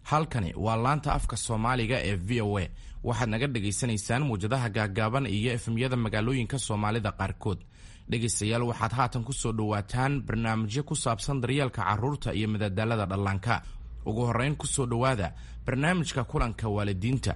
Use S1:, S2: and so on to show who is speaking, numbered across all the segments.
S1: Halkani waa laanta afka Soomaaliga ee VOA. Waxaad naga dhagaysanaysaan muwjadaha gaaggaaban iyo FM-yada magaalooyinka Soomaalida qaarkood. Dhegaystayaal, waxaad haatan ku soo dhowaataan barnaamijyo ku saabsan daryeelka carruurta iyo madadaalada dhallaanka. Ugu horrayn, ku soo dhowaada barnaamijka kulanka waalidiinta.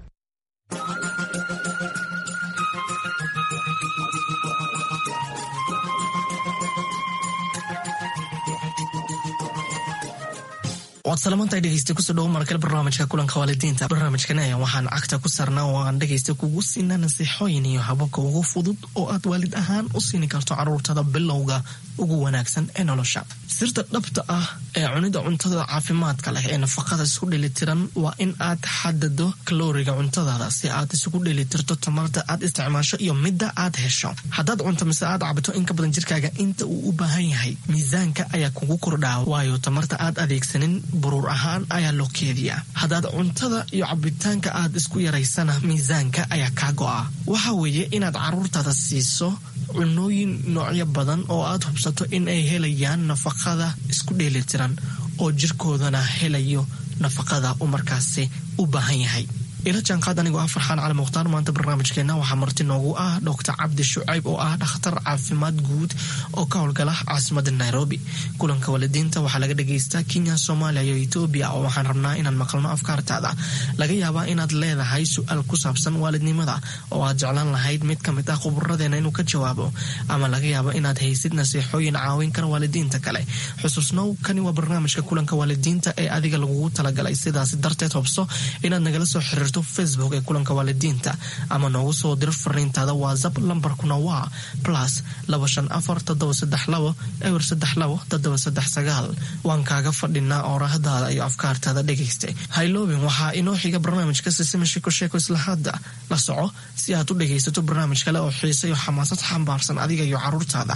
S2: Waad salamantahay, dhegeysta. Kusoo dhawo markale barnaamijka kulanka waalidiinta. Barnaamijkan ayaa waxaan cagta ku saarnaa oo aan dhegeysta kugu siinaa nasiixooyin iyo hababka ugu fudud oo aad waalid ahaan u siini karto caruurtada bilowga ugu wanaagsan ee nolosha. Sirta dhabta ah ee cunida cuntada caafimaadka leh ee nafaqada isku dheelitiran waa in aad xadado kalooriga cuntadaada si aad isugu dheelitirto tamarta aad isticmaasho iyo midda aad hesho. Haddaad cunto mise aad cabto in ka badan jirkaaga inta uu u baahan yahay, miisaanka ayaa kugu kordhaa, waayo tamarta aad adeegsanin buruur ahaan ayaa loo keediyaa. Haddaad cuntada iyo cabitaanka aad isku yaraysana, miisaanka ayaa kaa go'a. Waxa weeye inaad caruurtaada siiso cunooyin noocyo badan oo aad hubsato in ay helayaan nafaqada isku dheelitiran oo jirkoodana helayo nafaqada uu markaasi u baahan yahay. Ila jaanqaad anigoo ah Farxaan Cali Mukhtaar. Maanta barnaamijkeenna waxaa marti noogu ah Doctor Cabdi Shucayb oo ah dhakhtar caafimaad guud oo ka howlgala caasimada Nairobi. Kulanka waalidiinta waxaa laga dhagaystaa Kenya, Soomaaliya iyo Etoobiya, oo waxaan rabnaa inaan maqalno afkaartaada. Laga yaabaa inaad leedahay su-aal ku saabsan waalidnimada oo aad jeclaan lahayd mid ka mid ah khuburadeena inuu ka jawaabo, ama laga yaabo inaad haysid nasiixooyin caawin kara waalidiinta kale. Xusuusnow, kani waa barnaamijka kulanka waalidiinta ee adiga lagugu talagalay. Sidaas darteed, hubso inaad nagala soo xiriirto Facebook ee kulanka waalidiinta ama noogu soo diro fariintaada WhatsApp. Lambarkuna waa +254 732 032 739. Waan kaaga fadhinaa oorahdaada iyo afkaartaada, dhegaysta. Hayloobin, waxaa inoo xiga barnaamijka Sisima Sheeko Sheeko. Isla hadda la soco si aad u dhegaysato barnaamij kale oo xiise iyo xamaasad xambaarsan adiga iyo caruurtaada.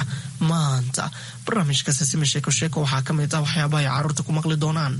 S2: Maanta barnaamijka Sisima Sheeko Sheeko waxaa ka mid ah waxyaabaha ay caruurta ku maqli doonaan.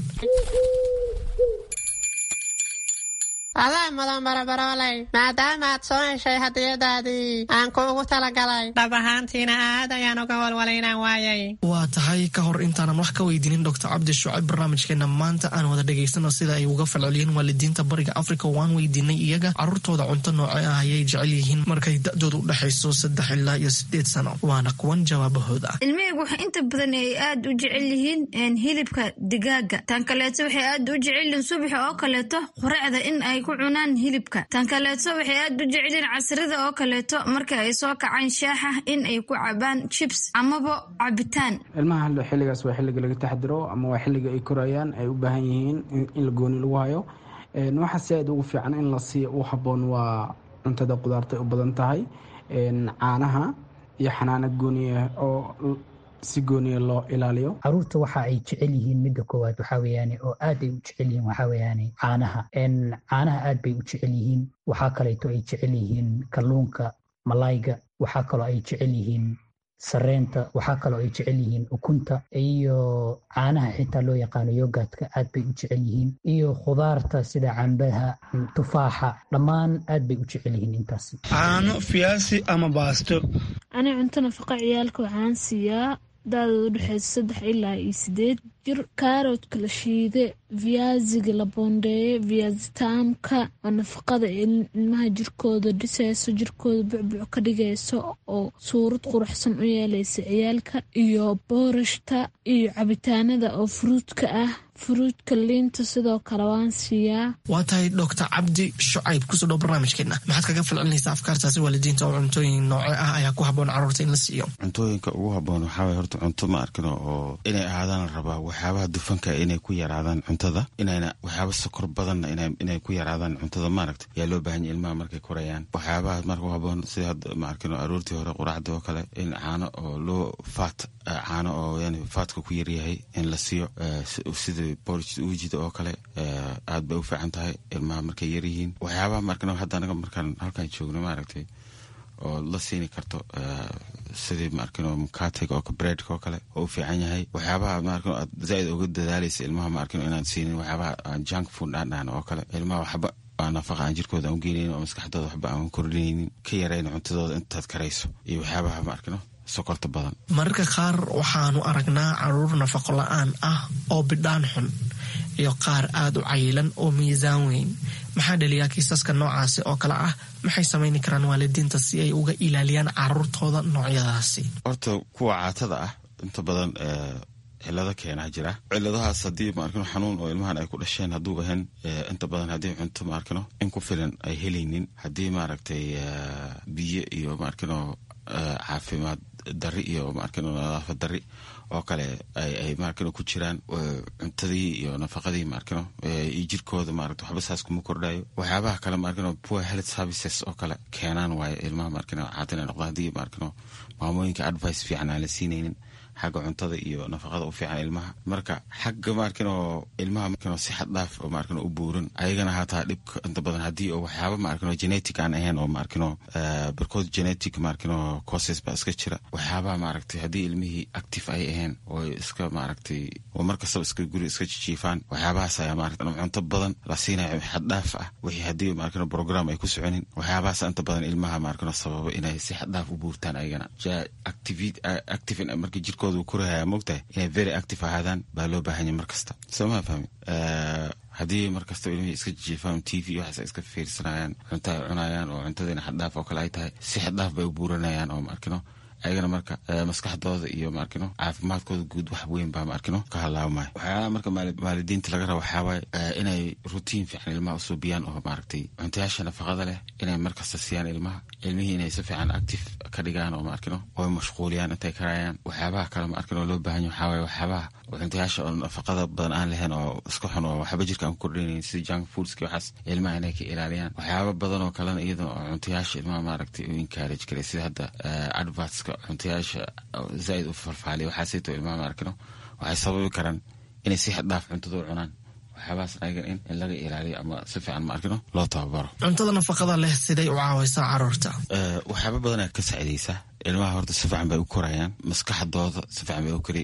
S3: Adaa mudan, barabarooley, maadaama aad soo heshay hadiyadaadii aan kuugu talagalay. Dhab ahaantiina aad ayaan uga walwalay inaan waayay.
S2: Waa tahay. Ka hor intaanan wax ka weydiinin Doctor Cabdi Shucayb barnaamijkeena maanta, aan wada dhegaysano sida ay uga falceliyeen waalidiinta Bariga Africa. Waan weydiinay iyaga caruurtooda cunto nooce ah ayay jecel yihiin markay da-dooda u dhexayso 3 ilaa iyo 8 sano. Waana kuwan jawaabahooda.
S4: Ilmahaygu waxay inta badan ay aad u jecel yihiin hilibka digaaga. Tan kaleeto, waxay aad u jecel yihiin subaxa oo kaleeto quraacda in ay ku cunaan hilibka. Tan kaleeto, waxay aad u jecelyihiin casrida oo kaleeto marka ay soo kacaan shaaxa in ay ku cabaan chips amaba cabitaan.
S5: Ilmaha xilligaas waa xilliga laga taxdiro ama waa xilliga ay korayaan, ay u baahan yihiin in la gooni lagu hayo. Waxaa si aad ugu fiican in la siiyo u habboon waa cuntada qudaarta u badan tahay, caanaha iyo xanaano gooniya oo si gooniya loo ilaaliyo.
S6: Caruurta waxa ay jecel yihiin, midda koowaad waxaa weeyaane oo aad ay u jecel yihiin, waxaa weeyaane caanaha. Caanaha aad bay u jecel yihiin. Waxaa kaleeto ay jecel yihiin kalluunka, malayga. Waxaa kaloo ay jecel yihiin sareenta. Waxaa kaloo ay jecel yihiin ukunta iyo caanaha xitaa loo yaqaano yogurtka aad bay u jecel yihiin, iyo khudaarta sida cambaha, tufaaxa, dhammaan aad bay u jecel yihiin intaasi.
S7: Caano, fiyaasi ama baasto.
S8: Ani cunto nafaqa ciyaalka waxaan siiyaa da-dooda udhexeysa 3 ilaa iyo 8 jir kaaroodka la shiide, viyaasiga la boondeeye, viyaasitaamka oo nafaqada ilmaha jirkooda dhiseyso, jirkooda bucbuc ka dhigayso oo suurad quruxsan u yeeleysa ciyaalka, iyo boorashta iyo cabitaanada oo fruitka ah, fruitka, liinta sidoo kale waan siiyaa.
S2: Waa tahay. Doctor Cabdi Shucayb, kusoo dhow barnaamijkeena. Maxaad kaga falcelinaysaa afkaartaasi waalidiinta oo cuntooyin nooce ah ayaa ku habboon carruurta in la siiyo?
S9: Cuntooyinka ugu habboon waxaa waye horta cunto ma arkino oo inay ahaadaan la rabaa waxyaabaha dufanka inay ku yaraadaan cuntada, inayna waxyaaba sokor badanna inay ku yaraadaan cuntada, maaragta, yaa loo baahan yahay ilmaha markay korayaan. Waxyaabaha marka u habboon sida hadda, ma arkino, aroortii hore quraacda oo kale in caano oo loo faat, caano oo yani fatka ku yaryahay in la siiyo, sida porridge uujida oo kale, aad bay u fiican tahay ilmaha markay yaryihiin. Waxyaabaha markan hadda anaga markaan halkan joogno, maaragtay, oo la siini karto sidii, maarkino, mukatega oo breadka oo kale oo u fiican yahay. Waxyaabaha, maarkino, aad zaaid uga dadaalaysa ilmaha, maarkino, inaan siinin waxyaabaha aan junk food aan dhahno oo kale, ilmaha waxba aan nafaqa aan jirkooda aan u geenaynin oo maskaxdooda waxba aan kordhinaynin, ka yarayn cuntadooda intaad karayso, iyo waxyaabaha, maarkino, sokorta badan.
S2: Mararka qaar waxaanu aragnaa caruur nafaqo la-aan ah oo bidhaan xun. iyo qaar aada u cayilan oo miisaan weyn. Maxaa dhaliyaa kiisaska noocaasi oo kale ah? Maxay samayni karaan waalidiinta si ay uga ilaaliyaan caruurtooda noocyadaasi?
S9: Horta kuwa caatada ah inta badan cilado keenaa jira. Ciladahaas haddii maarkino xanuun oo ilmahan ay ku dhasheen hadduu ahayn, inta badan haddii cunto maarkino in ku filan ay helaynin, haddii maaragtay biyo iyo maarkino caafimaad dari iyo maarkino nadaafad dari oo kale ay maarkino ku jiraan, cuntadii iyo nafaqadii maarkino iyo jirkooda maaragta waxba saas kuma kordhayo. Waxyaabaha kale maarkino poor health services oo kale keenaan waayo ilmaha maarkino caatin ay noqdaan, haddii maarkino maamooyinka advice fiican aan la siinaynin xagga cuntada iyo nafaqada u fiican ilmaha. Marka xagga maarkino ilmaha maarkino si xad dhaaf oo maarkino u buuran ayagana hataa dhibka inta badan haddii oo waxyaaba maarkino genetic aan ahayn oo maarkino barkood genetic maarkino causes baa iska jira. Waxyaabaha maaragtay haddii ilmihii active ay ahayn oo iska maaragtay oo mar kastaba iska guri iska jijiifaan, waxyaabahaas ayaa maaragtay cunto badan la siinayo xad dhaaf ah, wixii haddii maarkino program ay ku soconin, waxyaabahaas inta badan ilmaha maarkino sababa inay si xad dhaaf u buurtaan ayagana. Active markii jirkooda korahaya moogtahay inay very active ahaadaan baa loo baahanya mar kasta, soo maa fahmi? Haddii mar kastaba ilmihii iska jijiifaan, TV waxaas iska fiirsanayaan, cunto ay cunayaan oo cuntadiina xaddhaaf oo kale ay tahay, si xaddhaaf bay u buuranayaan oo maarkino ayagana marka maskaxdooda iyo maarkino caafimaadkooda guud wax weyn baa maarkino ka halaabmaya. Waxyaalaha marka waalidiinta laga raba waxaawaaye inay routine fiican ilmaha usuubiyaan oo maaragtay cuntayaasha nafaqada leh inay markasta siiyaan ilmaha, ilmihii inay si fiican active ka dhigaan oo maarkino oy mashquuliyaan intay karayaan. Waxyaabaha kale maarkino loo baahan yahay waxaawaye waxyaabaha cuntayaasha oo nafaqada badan aan lahayn oo iska xun oo waxba jirka aan ku kordhinayn sida junk foodski, waxaas ilmaha inay ka ilaaliyaan. Waxyaaba badan oo kalena iyadana oo cuntayaasha ilmaha maaragtay u encourage karay, sida hadda advertska cuntayaasha zaaid u falfaaliya, waxaasayto ilmaha maarkino waxay sababi karaan inay si xad dhaaf cuntada u cunaan. Waxyaabahaas ayaga in laga ilaaliyo ama si fiican maarkino loo tababaro.
S2: Cuntada nafaqada leh siday u caawaysaa caruurta?
S9: Waxyaaba badanaa ka saacidaysaa ilmaha. Horta si fiican bay u korayaan, maskaxdooda si fiican bay u kori,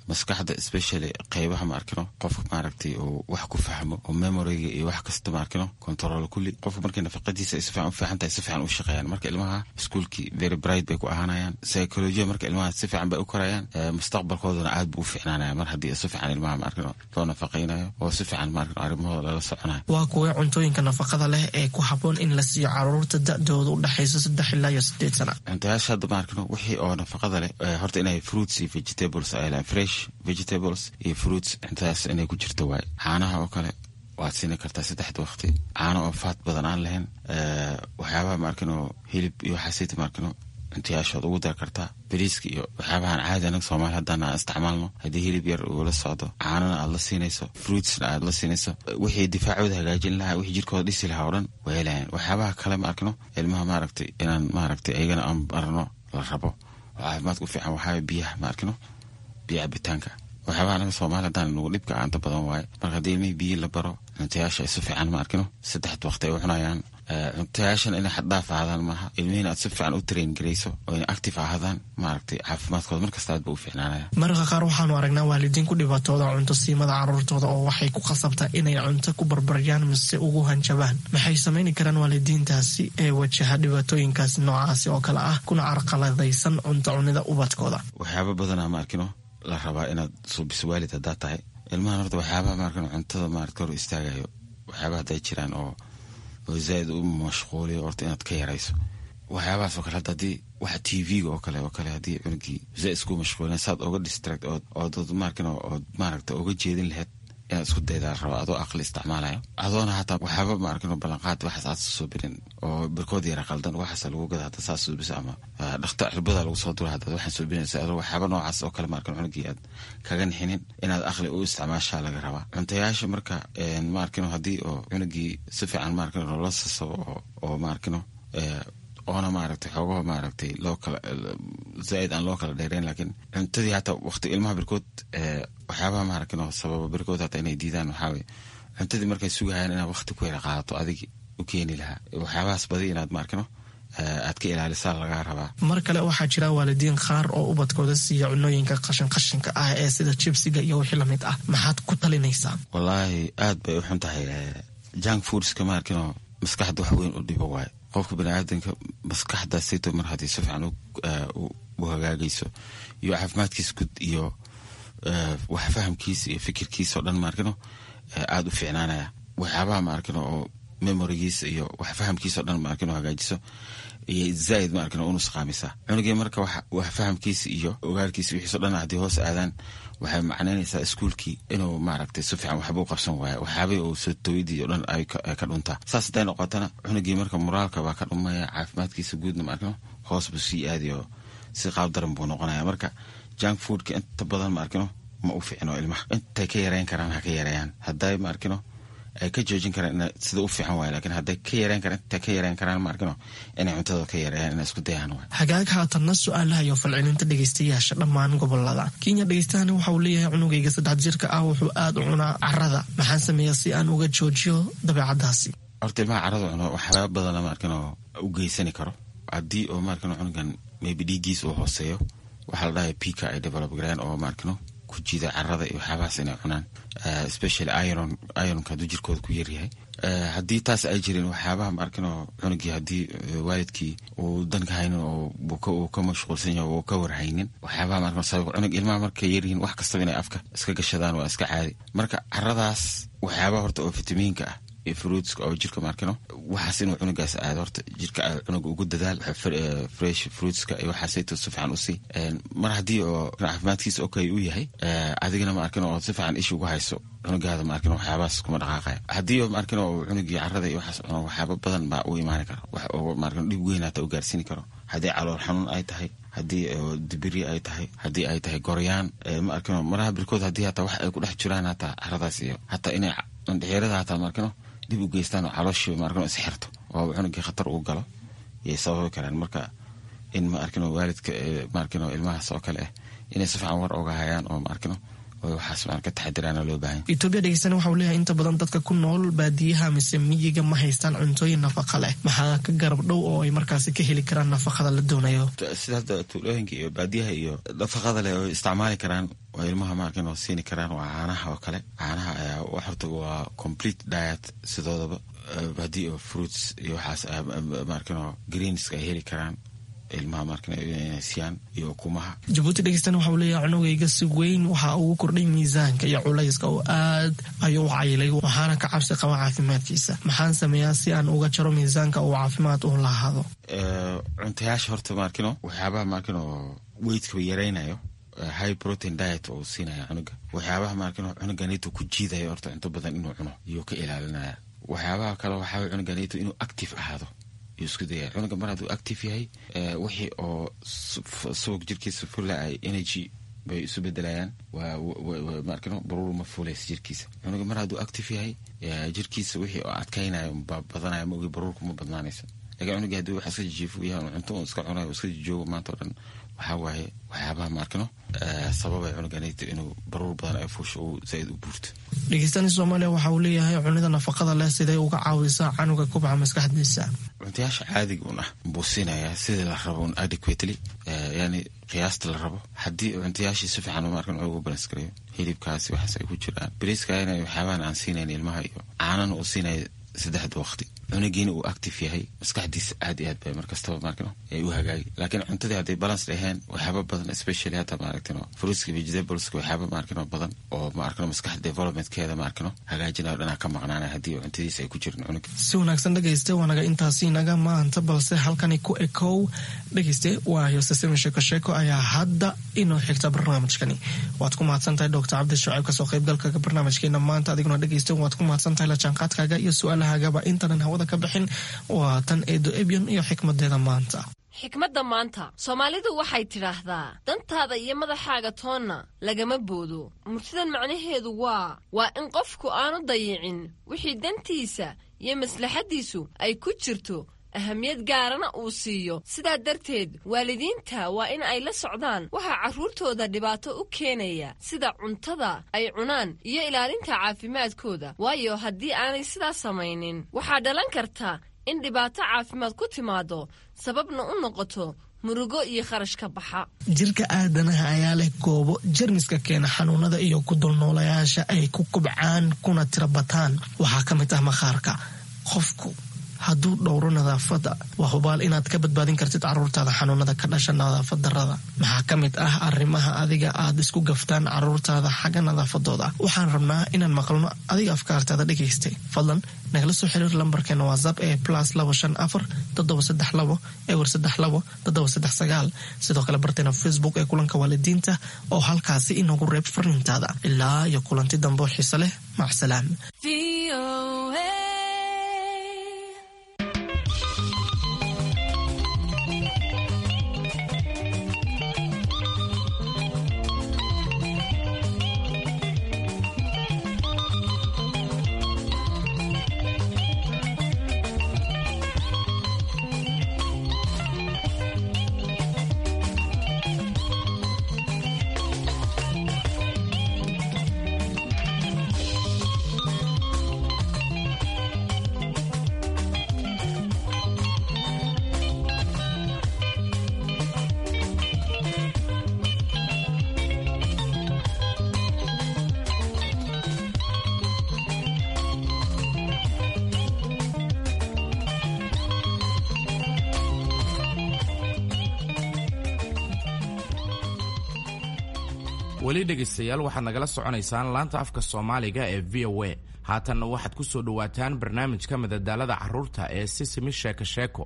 S9: maskaxda especially qeybaha maarkino qofka maaragtay uu wax ku fahmo oo memoryga iyo wax kasta maarkino control kulli. Qofka markay nafaqadiisa ay si fiican u fiican tahay, si fiican u shaqeeyaan. Marka ilmaha iskuulkii very bright bay ku ahaanayaan, psychology marka ilmaha si fiican bay u korayaan, mustaqbalkoodana aad buu u fiicnaanaya mar haddii si fiican ilmaha maarkino loo nafaqaynayo oo si fiican maarkino arrimahooda lala soconayo.
S2: Waa kuwee cuntooyinka nafaqada leh ee ku habboon in la siiyo caruurta da-dooda u dhexayso 3 ilaa iyo 8 sana?
S9: Cuntayaasha hadda maarkino wixii oo nafaqada leh horta inay fruits iyo vegetables ay lahayn, fresh vegetables iyo fruits, cuntadaas inay ku jirto waaye. Caanaha oo kale waad siini kartaa saddexda waqti, caano oo faat badan aan lahayn. Waxyaabaha maarkino hilib iyo waxaasita maarkino cuntayaashood ugu dar kartaa, bariiska iyo waxyaabahan caadi anaga Soomaali haddaan aan isticmaalno. Haddii hilib yar uu la socdo, caanana aad la siinayso, fruitsna aad la siinayso, wixii difaacooda hagaajin lahaa, wixii jirkooda dhisi lahaa oo dhan way helayaan. Waxyaabaha kale ma arkino ilmaha maaragtay inaan maaragtay ayagana aan barno la rabo oo caafimaadka u fiican waxaa biyaha maarkino, biyo cabitaanka. Waxyaabaha anaga Soomaali haddaan nagu dhibka aanta badan waaye. Marka haddii ilmihii biyi la baro, cuntayaasha ay si fiican ma arkino saddexda waqti ay u cunayaan, cuntayaashan inay xaddhaaf ahaadaan maaha, ilmihiina aad si fiican u train garayso oo inay active ahaadaan, maaragtay caafimaadkooda markasta aad ba u fiicnaanaya.
S2: Mararka qaar waxaanu aragnaa waalidiin ku dhibaatooda cunto siimada caruurtooda oo waxay ku khasabtaa inay cunto ku barbaryaan mise ugu hanjabaan. Maxay samayni karaan waalidiintaasi ee wajaha dhibaatooyinkaasi noocaasi oo kale ah kuna carqaladaysan cunto cunida ubadkooda?
S9: Waxyaaba badanaa ma arkino la rabaa inaad suubiso waalid haddaa tahay ilmahan. Horta waxyaabaha maarkino cuntada maaragta hor istaagayo, waxyaabaha hadday jiraan oo zaaid u mashquuliyo, horta inaad ka yarayso waxyaabahaas oo kale. Hadda haddii waxa TV-ga oo kale haddii cunugii zaaid isku mashquulin, saad oga distract ood maarkino ood maaragta oga jeedin lahayd inaad isku daydaa la rabaa, adoo aqli isticmaalayo, adoona hataa waxyaaba maarkino ballanqaad waxaas aad suubinin oo barkood yara qaldan waxaas lagu gada hadda saas suubisa ama dhakta cirbada lagu soo dura haddaad waxaan suubinaysa, adoo waxyaaba noocaas oo kale maarkino cunugii aad kaga nixinin, inaad aqli u isticmaashaa laga rabaa cuntayaasha. Marka maarkino haddii oo cunugii si fiican maarkino loola sasabo oo maarkino oona maaragtay xoogaha maaragtay loo kala zaaid aan loo kala dheereyn, laakiin cuntadii hataa waqti ilmaha barkood waxyaabaha maaragtay sababa barkood hataa inay diidaan waxaa weye cuntadii markay sugayaan inaad waqti ku yara qaadato adigi u keeni lahaa. Waxyaabahaas badi inaad maarkino aad ka ilaalisaa lagaa rabaa.
S2: Mar kale waxaa jira waalidiin qaar oo ubadkooda siiya cunooyinka qashin qashinka ah ee sida jibsiga iyo wixii lamid ah. Maxaad ku talinaysaa?
S9: Wallaahi aad bay u xun tahay junk foodska maarkino, maskaxda wax weyn u dhibo waayo. Qofka baniaadanka maskaxda sito mar haddii si fiican u hagaagayso iyo caafimaadkiisa guud iyo wax fahamkiisa iyo fikirkiisa oo dhan maarkino Aada u fiicnaanaya waxyaabaha ma arkino oo memorigiisa iyo wax fahamkiisa o dhan ma arkino hagaajiso iyo zaaid ma arkino u nusqaamisaa cunugii. Marka wax fahamkiisa iyo ogaalkiisa wixiiso dhan haddii hoos aadaan, waxay macnaynaysaa iskuulkii inuu maaragtay si fiican waxba u qabsan waayo, waxyaabihii uu soo tawidii o dhan ay ka dhuntaa. Saas hadday noqotana, cunugii marka moraalka baa ka dhumaya, caafimaadkiisa guudna ma arkino hoos buu sii aadayo, si qaab daran buu noqonaya. Marka junk foodka inta badan ma arkino ma u fiicno ilmaha. Intay ka yareyn karaan ha ka yareeyaan. Hadday ma arkino ay ka joojin karaan sida u fiican waay, lakin hadday ka yareyn karaan, intay ka yareyn karaan ma arkino inay cuntada ka yareeyaan, inay isku dayaan waay.
S2: Hagaag, haatanna su-aalaha iyo falcelinta dhegeystayaasha dhammaan gobolada Kenya. Dhegeystahani waxa uu leeyahay: cunugayga 3 jirka ah wuxuu aada u cunaa carada, maxaan sameeyaa si aan uga joojiyo dabeecadaasi?
S9: Horta ilmaha carada cuno waxyaaba badana ma arkino u geysani karo. Haddii oo ma arkino cunugan maybe dhiiggiis uu hooseeyo, waxaa la dhahaya pica ay develop gareen oo ma arkino ku jiida carada iyo waxyaabahaas inay cunaan, especially iron. Ironka hadduu jirkooda ku yaryahay, haddii taas ay jirin, waxyaabaha ma arkino cunugii haddii waalidkii uu danka haynin oo uu ka mashquulsan yahay oo ka warhaynin, waxyaabaha ma arkino sabab cunug ilmaha markay yaryihiin wax kastaba inay afka iska gashadaan waa iska caadi. Marka caradaas waxyaabaha horta oo fitamiinka ah iyo fruitska oo jirka maarkino waxaas inuu cunugaas aado, horta jirka cunuga ugu dadaal fresh fruitska iyo waxaasayto si fiican usii. Mar haddii oo caafimaadkiisa okay uu yahay, adigana ma arkino oo si fiican isha ugu hayso cunugaada, ma arkino waxyaabahaas kuma dhaqaaqaya. Haddii oo ma arkino oo cunugii carada iyo waxaas cuno, waxyaaba badan baa u imaani karo, wax oo ma arkino dhib weyn hata u gaarsiini karo. Haddii calool xanuun ay tahay, haddii dibiri ay tahay, haddii ay tahay goryaan, ma arkino maraha birkood, haddii hataa wax ay ku dhex jiraan hataa caradaas iyo hataa inay andhixirada hataa ma arkino dib u geystaan oo calooshii ma arkino isxirto oo cunugii khatar uu galo yay sababi karaan. Marka in ma arkino waalidka ma arkino ilmahaas oo kale ah inay si fiican war oga hayaan oo ma arkino oo waxaas ma ka taxadiraana loo baahan.
S2: Etoobiya dhegeystana waxa uu leeyahay: inta badan dadka ku nool baadiyaha mise miyiga ma haystaan cuntooyin nafaqa leh, maxaa ka garab dhow oo ay markaasi ka heli karaan nafaqada la doonayo?
S9: Sida hadda tuulooyinka iyo baadiyaha iyo nafaqada leh oo isticmaali karaan oo ilmaha ma arkin oo siini karaan waa caanaha oo kale. Caanaha ayaa horta waa complete diet sidoodaba. Haddii oo fruits iyo waxaas ma arkin greenska ay heli karaan ilmaha markan inay siiyaan iyo ukumaha.
S2: Jabuuti dhegeystana waxa uu leeyahay: cunugayga si weyn waxa ugu kordhay miisaanka iyo culayska oo aad ayuu u cayilay, waxaana ka cabsi qaba caafimaadkiisa. Maxaan sameeyaa si aan uga jaro miisaanka uu caafimaad u lahaado?
S9: Cuntayaasha horta maarkino waxyaabaha maarkino weightka yaraynayo, high protein diet oo siinaya cunuga, waxyaabaha maarkino cunuganito ku jiidayo horta cunto badan inuu cuno iyuu ka ilaalinaya. Waxyaabaha kale waxaa cunuganito inuu active ahaado yuu isku dayaya. Cunuga mar hadduu active yahay, wixii oo subag jirkiisa fula ay energy bay isu bedelayaan, maarkino baruur ma fulaysa jirkiisa. Cunuga mar hadduu active yahay, jirkiisa wixii oo adkaynayo baa badanaya, ma ogi baruurku ma badnaanayso. Lakin cunuga haddii wax iska jijiifo yahay, cunto uu iska cunayo, iska jijoogo maanta o dhan, waxaa waaye waxyaabaha maarkino sababay cunuganayto inuu baruur badan ay fuusho uu zaaid u buurto.
S2: Dhegeystani Soomaaliya waxa uu leeyahay: cunida nafaqada leh siday uga caawisaa canuga kubca maskaxdiisa?
S9: Cuntayaasha caadiga un ah buu siinayaa sidii la rabo un adequately, yani qiyaasta la rabo. Haddii cuntayaashii si fiican maarkan ugu balance gareeyo, hilibkaasi waxaas ay ku jiraan, bariiska inay waxyaabahan aan siinayn ilmaha iyo caanana uu siinaya saddexda waqti, cunugiina uu active yahay, maskaxdiisa aad iyo aad bay markastaba maarkino ay u hagaagi. Laakiin cuntadii hadday balance dhaheen, waxyaaba badan, especially hata maaragtino fruitska, vegetables, waxyaaba maarkino badan oo maarkino maskaxda developmentkeeda maarkino hagaajinayo dhanaa ka maqnaanaya haddii cuntadiisa ay ku jirin cunuga.
S2: Si wanaagsan dhegayste, waanaga intaasi inaga maanta, balse halkani ku ekow dhegayste. Waa yosesemi Sheeko Sheeko ayaa hadda inoo xigta barnaamijkani. Waad ku mahadsan tahay Doctor Cabdi Shucayb kasoo qaybgalka barnaamijkeena maanta. Adiguna dhegayste waad ku mahadsan tahay la jaanqaadkaaga iyo su-aalahagaba. Intanan hawada ka bixin, waa tan Eedo Ebyon iyo xikmadeeda maanta.
S10: Xikmadda maanta, Soomaalidu waxay tidhaahdaa: dantaada iyo madaxaaga toonna lagama boodo. Murtidan macnaheedu waa in qofku aanu dayicin wixii dantiisa iyo maslaxaddiisu ay ku jirto, ahamiyad gaarana uu siiyo. Sidaa darteed waalidiinta waa in ay la socdaan waxaa carruurtooda dhibaato u keenaya, sida cuntada ay cunaan iyo ilaalinta caafimaadkooda, waayo haddii aanay sidaas samaynin waxaa dhalan karta in dhibaato caafimaad ku timaado, sababna u noqoto murugo iyo kharash ka baxa.
S2: Jirka aadanaha ayaa leh goobo jermiska keena xanuunada iyo ku dulnoolayaasha ay ku kubcaan kuna tirabataan. Waxaa ka mid ah maqaarka. Qofku hadduu dhowro nadaafadda, waa hubaal inaad ka badbaadin kartid caruurtaada xanuunada ka dhasha nadaafad darrada. Maxaa ka mid ah arrimaha adiga aad isku gaftaan caruurtaada xagga nadaafadooda? Waxaan rabnaa inaan maqalno adiga afkaartaada dhegaystay. Fadlan nagala soo xiriir lambarkeena WhatsApp ee +254 732 032 739. Sidoo kale barteena Facebook ee Kulanka Waalidiinta oo halkaasi inoogu reeb fariintaada. Ilaa iyo kulanti dambe oo xiise leh, macsalaam.
S1: Weli dhegaystayaal, waxaad nagala soconaysaan laanta afka Soomaaliga ee VOA. Haatanna waxaad ku soo dhowaataan barnaamijka madadaalada carruurta ee Sisimi Sheeko Sheeko.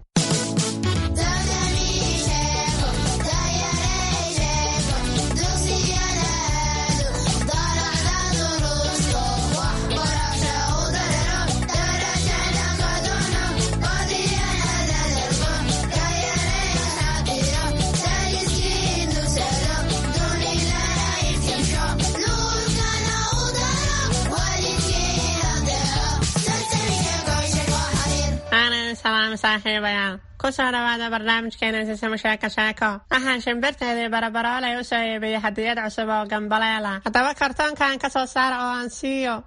S3: Salaam saaxiibayaal, kusoo dhawaada barnaamijkeena Sisimo Sheeko Sheeko. Waxaan shimbirteedii Barabaroolay u soo iibiyey hadiyad cusub oo gambaleela. Haddaba kartoonkan ka soo saara oo aan siiyo.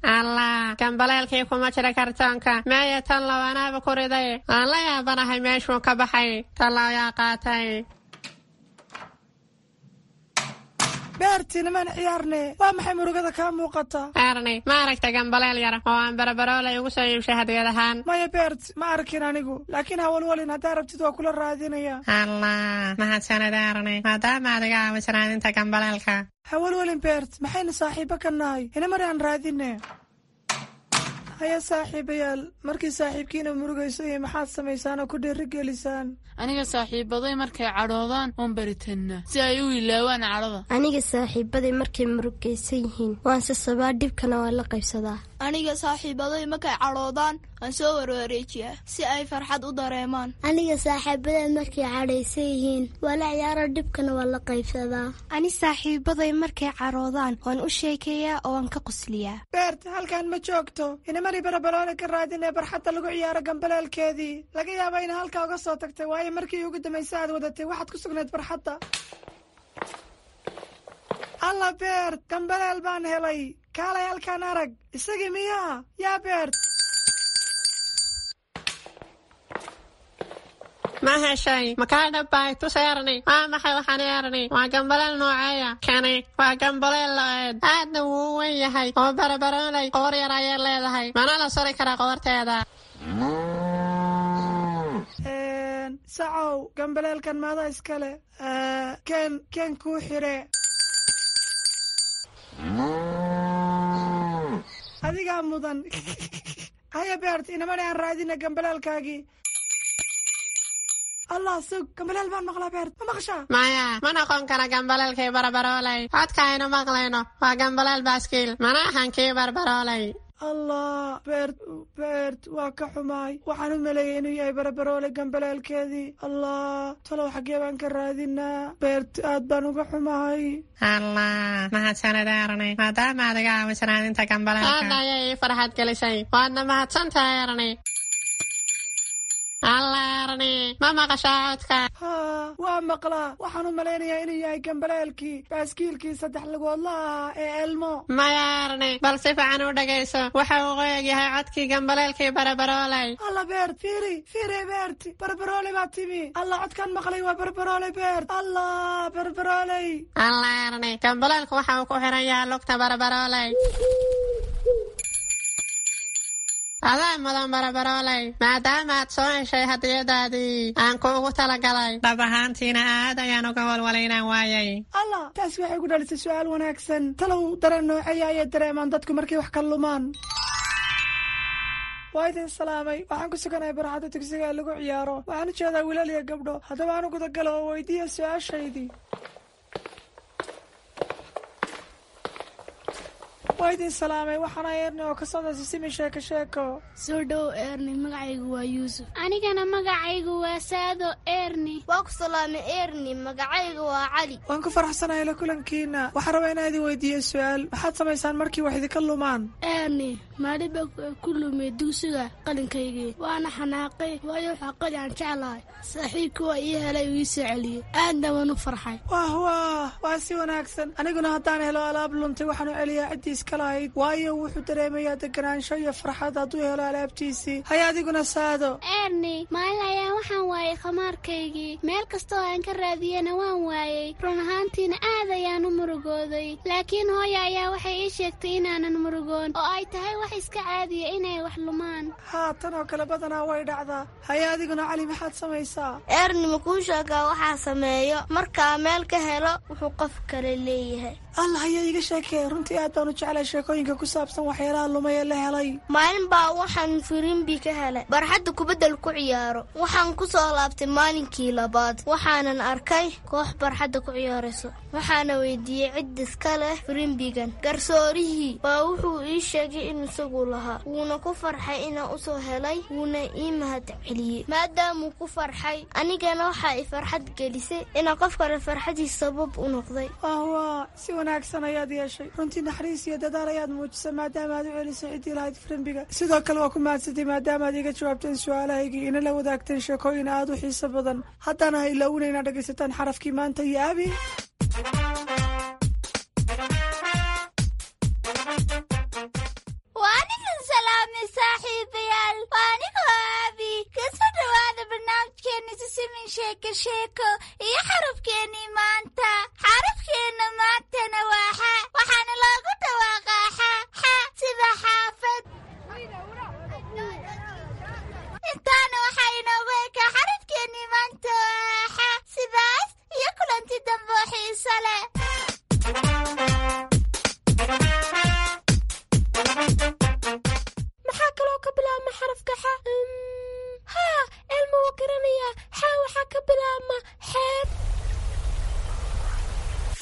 S3: Allah, gambaleelkii kuma jira kartoonka. Meeya tan lawanaaba ku riday? Aan la yaabanahay meeshuu ka baxay. Tan looyaa qaatay.
S11: Beerti, nimaan ciyaarne. Waa maxay murugada kaa muuqata?
S3: Erni, ma aragta gambaleel yar oo aan Barabaroolay ugu soo iibshay hadiyad ahaan?
S11: Maya Beert, ma arkin anigu, laakiin hawalwalin, haddaa rabtid waa kula raadinaya.
S3: Allah, mahadsanid Erni, maadaama aad iga caawis raadinta gambaleelka.
S11: Hawalwalin Beert, maxaynu saaxiibo ka nahay? Inamari aan raadine. Haya saaxiibayaal, markii saaxiibkiina murugayso iyo maxaad samaysaan oo ku dhiirigelisaan?
S12: Aniga saaxiibaday markay cadhoodaan oon baritannaa si ay u ilaawaan cadhada.
S13: Aniga saaxiibaday markay murugaysan yihiin waan sasabaa, dhibkana waan la qaybsadaa.
S14: Aniga saaxiibaday markay cadhoodaan waan soo warwareejiyaa si ay farxad u dareemaan.
S13: Aniga saaxiibaday markay cadhaysan yihiin waa la ciyaaro, dhibkana waan la qaybsadaa.
S15: Ani saaxiibaday markay cadhoodaan waan u sheekeeyaa oo waan ka qosliyaa.
S11: Beert, halkan ma joogto. Inamari Barabaroole ka raadinee barxadda lagu ciyaaro gambaleelkeedii. Laga yaaba ina halkaa uga soo tagtay, waayo markii ugu dambaysa aad wadatay waxaad ku sugnayd barxadda. Alla Beert, gambaleel baan helay. Kaalay halkaan arag. Isagii miyaa yaa Beert?
S3: Ma heshay? Makaa dhabbay? Tus Erni. Waa maxay waxaan Erni? Waa gambaleel nooceeya kani? Waa gambaleel lo-eed, aadna wuu u wen yahay oo Barabaroolay qoor yar ayay leedahay, mana la suri karaa qoorteeda.
S11: Sacow, gambaleelkan maada iskale? Ken ken kuu xire. Adigaa mudan. Haya Beert, inamani aan raadina gambaleelkaagii. Allah, sug, gambaleel baan maqlaa. Beert, ma maqashaa?
S3: Maya, ma noqon kara gambaleelkii Barabaroolay. Codka aynu maqlayno waa gambaleel baaskiil, mana ahan kii Barbaroolay.
S11: Allah Beert, Beert, waa ka xumaay. Waxaan u maleeyay inuu yahay Barabaroole gambaleelkeedii. Allah, talow xaggee baan ka raadinaa? Beert, aad baan uga xumahay.
S3: Allah, mahadsanid Erni, maadaama aad iga caawis raadinta gambaleelka. Aadna ayay ii farxad gelisay, waadna mahadsantahay Erni. Allah Erni, ma maqashaa codka?
S11: Haa, waa maqlaa. Waxaan u malaynayaa inuu yahay gambaleelkii baaskiilkii saddex lugoodla ahaa ee Elmo.
S3: Maya Erni, bal si fiican u dhegayso. Waxa uu qoyag yahay codkii gambaleelkii Barabaroolay.
S11: Alla Beert, fiiri fiiri. Beert, Barbarooley baa timi. Allah, codkaan maqlay waa Barbarooley. Beert, Allah, Barbarooley.
S3: Allah Erni, gambaleelku waxa uu ku xiran yahay lugta Barabarooley. Adaa mudan Barabarooley, maadaama aad soo heshay hadiyadaadii aan kuugu talagalay. Dhab ahaantiina aad ayaan uga walwalay inaan waayay.
S11: Allah, taasi waxay ku dhalisay su'aal wanaagsan. Talow dareen nooceeya ayay dareemaan dadku markay wax ka lumaan? Waa idin salaamay. Waxaan ku suganahay barxadda dugsiga ee lagu ciyaaro. Waxaan u jeedaa wiilal iyo gabdho. Haddaba aan u gudagalo oo weydiiya su-aashaydii. Waa idin salaamay. Waxaana Eerni oo ka socda Sisimi Sheeko Sheeko.
S13: Soo dhow Eerni, magacaygu waa Yuusuf.
S16: Anigana magacaygu waa Saado Eerni.
S15: Waa ku salaamay Eerni, magacaygu waa Cali.
S11: Waan ku faraxsanahay la kulankiina. Waxaan rabaa inaan idin weydiiyo su-aal. Maxaad samaysaan markii wax idinka lumaan?
S13: Eerni, maalin baa ku lumay dugsiga qalinkaygii, waana xanaaqay, waayo waxaa qali aan jeclahay. Saaxiibkii waa ii helay, uu ii soo celiyey, aadna waan u farxay.
S11: Wah wah, waa si wanaagsan. Aniguna haddaan helo alaab luntay, waxaan u celiyaa ciddii iska lahayd, waayo wuxuu dareemayaa deganaansho iyo farxad hadduu helo alaabtiisii. Haya adiguna Saado.
S16: Eerni, maalin ayaan waxaan waayay khamaarkaygii. Meel kasta oo aan ka raadiyena waan waayey. Run ahaantiina aad ayaan u murugooday, laakiin hooya ayaa waxay ii sheegtay inaanan murugoon oo ay tahay wax iska caadiya inay wax lumaan.
S11: Haa, tan oo kale badanaa way dhacdaa. Haya adiguna Cali, maxaad samaysaa?
S15: Eerni, ma kuu sheegaa waxaa sameeyo markaa meel ka helo wuxuu qof kale leeyahay?
S11: Allah, ayaa iiga sheekee. Runtii aad baan u jeclay sheekooyinka ku saabsan waxyaalaha lumay ee la helay.
S15: Maalin baa waxaan firimbi ka helay barxadda kubaddal ku ciyaaro. Waxaan ku soo laabtay maalinkii labaad, waxaanan arkay koox barxadda ku ciyaarayso. Waxaana weydiiyey cid iska leh firimbigan. Garsoorihii baa wuxuu ii sheegay in isagu lahaa, wuuna ku farxay inaan usoo helay, wuuna ii mahad celiyey maadaamuu ku farxay. Anigana waxaa i farxad gelisay inaan qof kale farxadiis sabab u noqday.
S11: Wah, si wanaagsan ayaad yeeshay. Runtii naxariis iyo dadaal ayaad muujisay maadaama aad u celisay ciddii lahayd firimbiga. Sidoo kale waa ku mahadsantay maadaama aad iga jawaabteen su-aalahaygii, ina la wadaagteen sheekooyin aad u xiiso badan. Haddana ha ilaawina inaad dhegaysataan xarafkii maanta iyo Abi.
S16: Waa idin salaamay saaxiibayaal, waa anigoo Aabi. Kasoo dhawaada barnaamijkeena Sisimin Sheeko Sheeko iyo xarafkeenii maanta. Xarafkeenna maantana waa xa, waxaana loogu dhawaaqaa xa xa, sida xaafad. Intaana waxaa inoogu ekaa xarafkeenii maanta waa xa. Sidaas iyo kulanti dambe oo xiiso leh. Maxaa kaloo ka bilaabma xarafka xa? Haa, Elma wuu garanayaa. Xa waxaa ka bilaabma xeeb.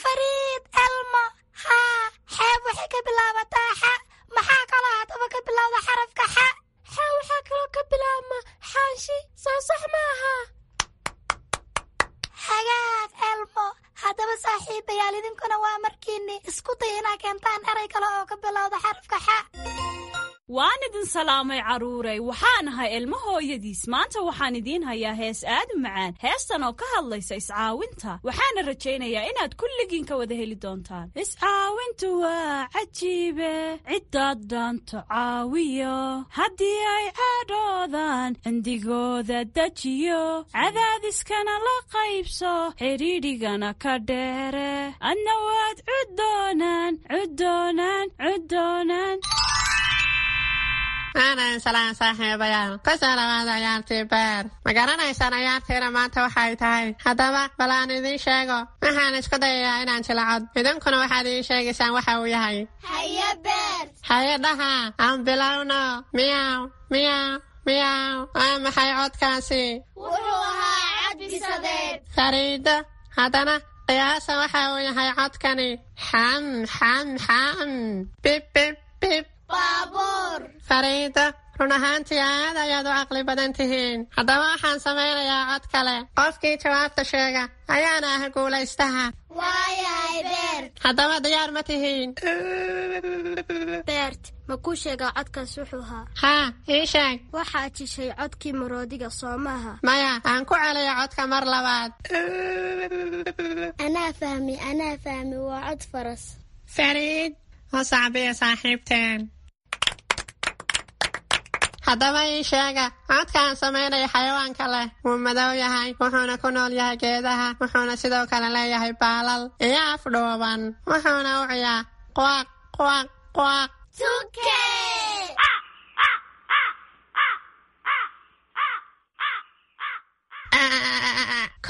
S16: Fariid Elmo, haa, xeeb waxay ka bilaabataa xa. Maxaa kaloo haddaba ka bilowda xarafka xa? Xa waxaa kaloo ka bilaabma xaanshi, soo sax maaha? Hagaag Elmo. Haddaba saaxiibayaal, idinkuna waa markiinni isku day inaa keentaan eray kale oo ka bilowda xarafka xa.
S17: Waan idin salaamay carruuray. Waxaan ahay Ilmo hooyadiis. Maanta waxaan idiin hayaa hees aad u macaan, heestan oo ka hadlaysa iscaawinta. Waxaana rajaynayaa inaad kulligiin ka wada heli doontaan. Iscaawintu waa cajiibe, ciddaad dhaanto caawiyo, haddii ay cadhoodaan cindigooda dejiyo, cadaadiskana la qaybso, xidhiidhigana ka dheere, adna waad cuddoonaan cuddoonaan cuddoonaan.
S3: Aanan salaan saaxiibayaal, kusoo dhawaada ciyaartii beer. Ma garanaysaan ciyaartiina maanta waxay tahay? Haddaba bal aan idiin sheego. Waxaan isku dayayaa inaan jilacod, idinkuna waxaad ii sheegaysaan waxa uu yahay.
S16: Haye Beer.
S3: Haye dhaha, aan bilowno. Miyaw miyaw miyaw, waa maxay codkaasi?
S16: Wuxuu ahaa cadbisadeed.
S3: Fariido, haddana qiyaasa waxa uu yahay codkani. Xam xam xam, bib bib bib.
S16: Baabuur.
S3: Fariido, run ahaantii aad ayaad u caqli badan tihiin. Haddaba waxaan samaynayaa cod kale. Qofkii jawaabta sheega ayaana ah guulaystaha.
S16: Waayahay Beert.
S3: Haddaba diyaar ma tihiin?
S15: Beert, ma kuu sheegaa codkaas wuxuu ahaa?
S3: Haa, ii sheeg.
S15: Waxaad jishay codkii maroodiga, soo maaha?
S3: Maya, aan ku celiyo codka mar labaad.
S13: Anaa fahmi, anaa fahmi, waa cod faras.
S3: Fariid, u sacbiya saaxiibteen. Haddaba ii sheega codkaan samaynaya xayawaanka leh. Wuu madow yahay, wuxuuna ku nool yahay geedaha, wuxuuna sidoo kale leeyahay baalal iyo af dhuuban, wuxuuna u ciyaa quaq quaq quaq.
S16: Tuke.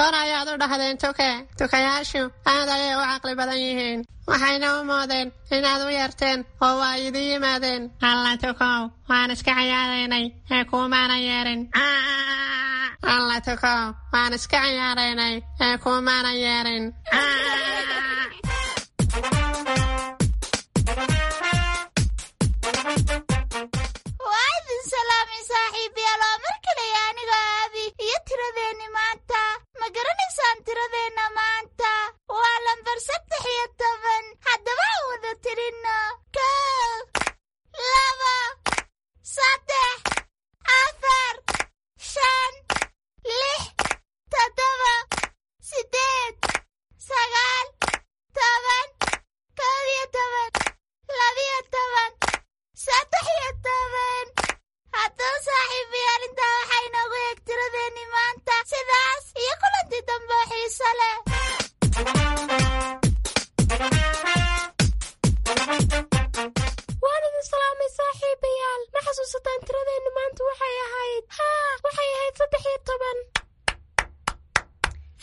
S3: Kor ayaad u dhahdeen tuke. Tukayaashu aad ayay u caqli badan yihiin, waxayna u moodeen inaad u yeerteen oo waa idin yimaadeen. Alla tukow, waan iska ciyaaraynay ee kuumaanan yeerin. Alla tukow, waan iska ciyaaraynay ee kuumaanan yeerin.
S16: Waa idin salaamay saaxiibayaal, waa mar kaleya aniga Aabi iyo tiradeenni maanta. Ma garanaysaan tiradeenna maanta? Waa lambar 13. Haddaba aan wada tirinno: 1, 2, 3, 4, 5, 6, 7, 8, 9, 10, 11, 12, 13. Haddaba saaxiibayaal, intaa waxaa inoogu eeg tiradeenni maanta. Sidaas iyo kulantii dambe oo xiiso leh.
S13: Waan idin salaamay saaxiibayaal. Ma xasuusataan tiradeennu maanta waxay ahayd? Haa, waxay ahayd 13.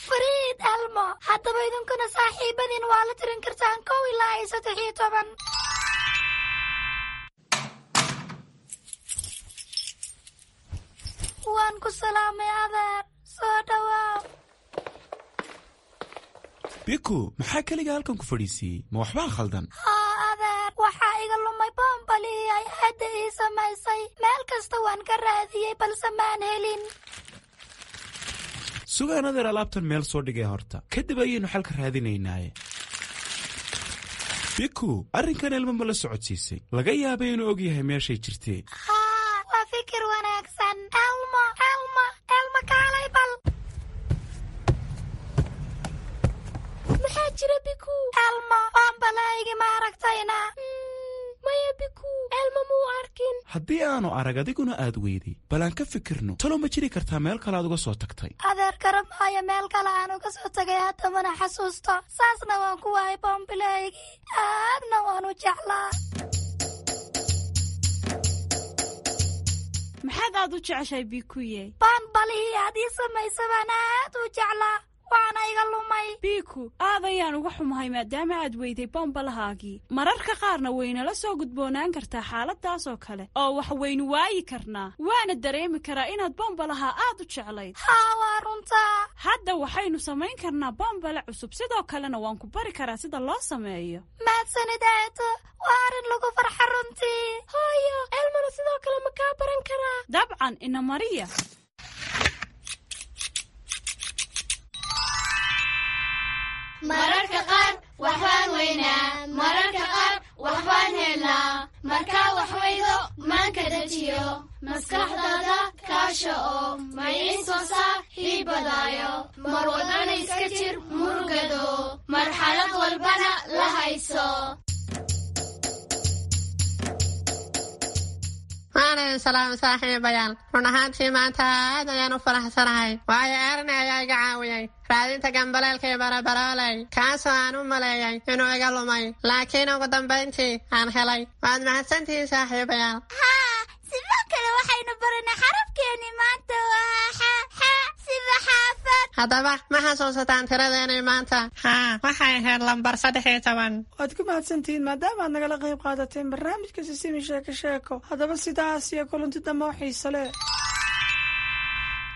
S16: Fariid Elmo, haddaba idinkuna saaxiibadiin waa la tirin kartaan 1 ilaa iyo 13. Waan ku salaamay adeer, soo dhawaaw.
S18: Biku, maxaa keliga halkan ku fadhiisiiyey? Ma waxbaa khaldan?
S16: Haa adeer, waxaa iga lumay boombalihii ay hadda ii samaysay. Meel kasta waan ka raadiyey balse maan helin.
S18: Sugaan adeer, alaabtan meel soo dhigay horta, kadib ayaynu xalka raadinaynaaye. Biku, arrinkan Elmo ma la socodsiisay? Laga yaabay inuu og yahay meeshay jirtee.
S16: Haa, waa fikir wanaagsan. Elmo, Elmo, Elmo, kaalay bal.
S13: Maxaa jira, Biku?
S16: Elmo, boombalahaygi ma aragtayna?
S13: Maya Biku, Elmo muu arkin.
S18: Haddii aanu arag adiguna aad weyday, bal aan ka fikirno. Talo ma jiri kartaa meel kale aad uga soo tagtay?
S16: Adeer, garab maayo meel kale aan uga soo tagay, hadda mana xasuusto. Saasna waan ku waayay boombilahaygii, aadna waan u jeclaa.
S17: Maxaad aad u jeceshahay, Bikuye?
S16: Boombalihii aad ii samaysa baan aad u jeclaa, waana iga lumay.
S17: Biku, aad ayaan uga xumahay maadaama aad weyday bombalahaagii. Mararka qaarna waynala soo gudboonaan kartaa xaaladaas oo kale oo wax waynu waayi karnaa, waana dareemi karaa inaad bombalaha aad u jeclayd.
S16: Haa, waa runtaa.
S17: Hadda waxaynu samayn karnaa bombale cusub, sidoo kalena waan ku bari karaa sida loo sameeyo.
S16: Mahadsanid eedo, waa arrin lagu farxa runtii.
S13: Hooyo, Elmona sidoo kale ma kaa baran karaa?
S17: Dabcan, ina mariya.
S19: Mararka qaar waxbaan weynaa, mararka qaar waxbaan helnaa. Markaa wax weydo, maanka dejiyo, maskaxdaada kaasha oo maciin soo saaxiibadaayo. Mar walbana iska jir murugado, marxalad walbana la hayso.
S3: Waan idin salaamay saaxiibayaal. Run ahaantii maanta aad ayaan u faraxsanahay, waayo Erni ayaa iga caawiyey raadinta gambaleelkii Barabarooley, kaasoo aan u maleeyay inuu iga lumay, laakiin ugu dambayntii aan helay. Waad mahadsantihiin saaxiibayaal.
S16: Haa, sidoo kale waxaynu baranay xarafkeenni maanta waa xa, xa sida xaafad.
S3: Haddaba ma xasuusataan tiradeenii maanta? Haa, waxay ahayd lambar 13.
S11: Waad ku mahadsantihiin maadaama aad nagala qayb qaadateen barnaamijka Sisimi Sheeko Sheeko. Haddaba sidaas iyo kulanti dambe oo xiiso leh.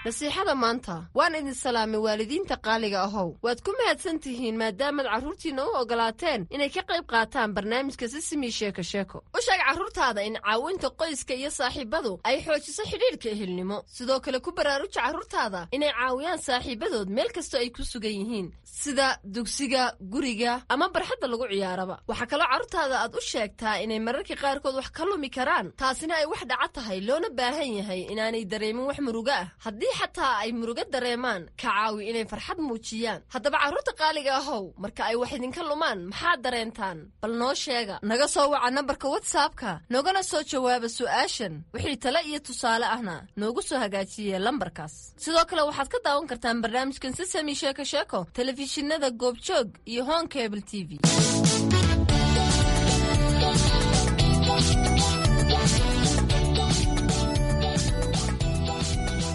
S10: Nasiixada maanta. Waan idin salaamay waalidiinta qaaliga ahow. Waad ku mahadsan tihiin maadaamaad carruurtiinna u ogolaateen inay ka qayb qaataan barnaamijka Sisimi Sheeko Sheeko. U sheeg carruurtaada in caawinta qoyska iyo saaxiibadu ay xoojiso xidhiidhka ehelnimo. Sidoo kale ku baraaruja carruurtaada inay caawiyaan saaxiibadood meel kastoo ay ku sugan yihiin, sida dugsiga, guriga ama barxadda lagu ciyaaraba. Waxaa kaloo carruurtaada aad u sheegtaa inay mararka qaarkood wax ka lumi karaan, taasina ay wax dhaca tahay, loona baahan yahay inaanay dareemin wax murugo ah. Haddii xataa ay murugo dareemaan, ka caawi inay farxad muujiyaan. Haddaba carruurta qaaliga ahow, marka ay wax idinka lumaan maxaad dareentaan? Bal noo sheega. Naga soo waca nambarka WhatsAppka, noogana soo jawaaba su'aashan. Wixii tale iyo tusaale ahna noogu soo hagaajiye lambarkaas. Sidoo kale waxaad ka daawan kartaan barnaamijkan Sisami Sheeko Sheeko telefishinada Goobjoog iyo Hon Cable TV.